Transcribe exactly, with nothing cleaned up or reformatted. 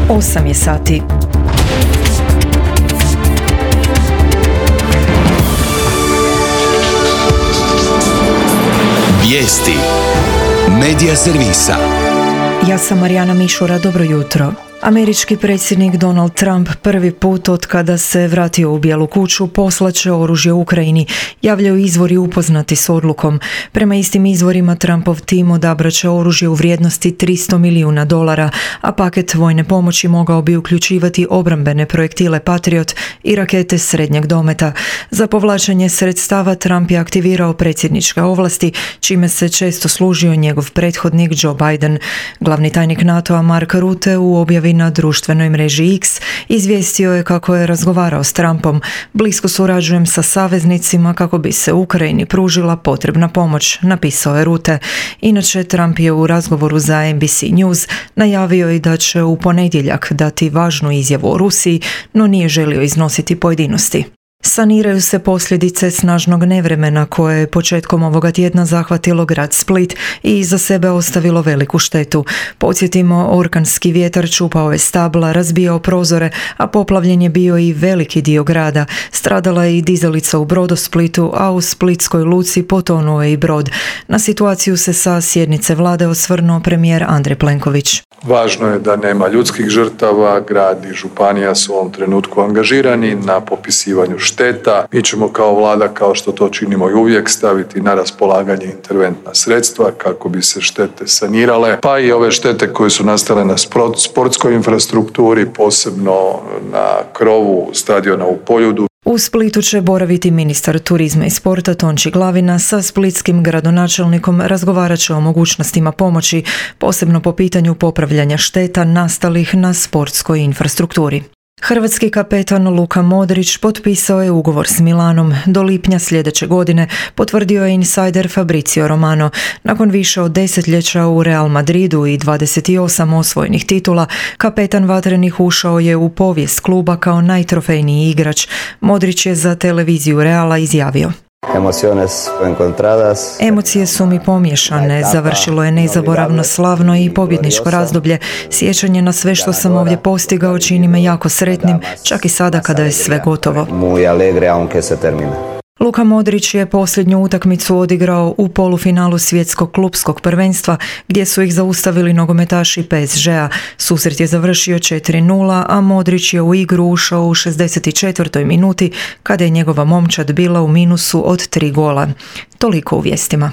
osam je sati. Vijesti Medija servisa. Ja sam Marijana Mišura, dobro jutro. Američki predsjednik Donald Trump prvi put od kada se vratio u Bijelu kuću poslaće oružje Ukrajini, javljaju izvori upoznati s odlukom. Prema istim izvorima Trumpov tim odabraće oružje u vrijednosti tristo milijuna dolara, a paket vojne pomoći mogao bi uključivati obrambene projektile Patriot i rakete srednjeg dometa. Za povlačenje sredstava Trump je aktivirao predsjedničke ovlasti, čime se često služio njegov prethodnik Joe Biden. Glavni tajnik NATO-a Mark Rutte u objavi na društvenoj mreži X izvijestio je kako je razgovarao s Trumpom. Blisko surađujem sa saveznicima kako bi se Ukrajini pružila potrebna pomoć, napisao je Rutte. Inače, Trump je u razgovoru za N B C News najavio i da će u ponedjeljak dati važnu izjavu o Rusiji, no nije želio iznositi pojedinosti. Saniraju se posljedice snažnog nevremena koje je početkom ovoga tjedna zahvatilo grad Split i iza sebe ostavilo veliku štetu. Podsjetimo, orkanski vjetar čupao je stabla, razbijao prozore, a poplavljen je bio i veliki dio grada. Stradala je i dizalica u Brodosplitu, a u splitskoj luci potonuo je i brod. Na situaciju se sa sjednice vlade osvrnuo premijer Andrej Plenković. Važno je da nema ljudskih žrtava, grad i županija su u ovom trenutku angažirani na popisivanju šteta. Mi ćemo kao vlada, kao što to činimo i uvijek, staviti na raspolaganje interventna sredstva kako bi se štete sanirale, pa i ove štete koje su nastale na sportskoj infrastrukturi, posebno na krovu stadiona u Poljudu. U Splitu će boraviti ministar turizma i sporta Tonči Glavina, sa splitskim gradonačelnikom razgovarat će o mogućnostima pomoći, posebno po pitanju popravljanja šteta nastalih na sportskoj infrastrukturi. Hrvatski kapetan Luka Modrić potpisao je ugovor s Milanom do lipnja sljedeće godine, potvrdio je insajder Fabrizio Romano. Nakon više od desetljeća u Real Madridu i dvadeset osam osvojenih titula, kapetan vatrenih ušao je u povijest kluba kao najtrofejniji igrač. Modrić je za televiziju Reala izjavio: Emocije su mi pomiješane, završilo je nezaboravno, slavno i pobjedničko razdoblje. Sjećanje na sve što sam ovdje postigao čini me jako sretnim, čak i sada kada je sve gotovo. Luka Modrić je posljednju utakmicu odigrao u polufinalu svjetskog klupskog prvenstva gdje su ih zaustavili nogometaši P S G-a. Susret je završio četiri nula, a Modrić je u igru ušao u šezdeset četvrtoj minuti kada je njegova momčad bila u minusu od tri gola. Toliko u vijestima.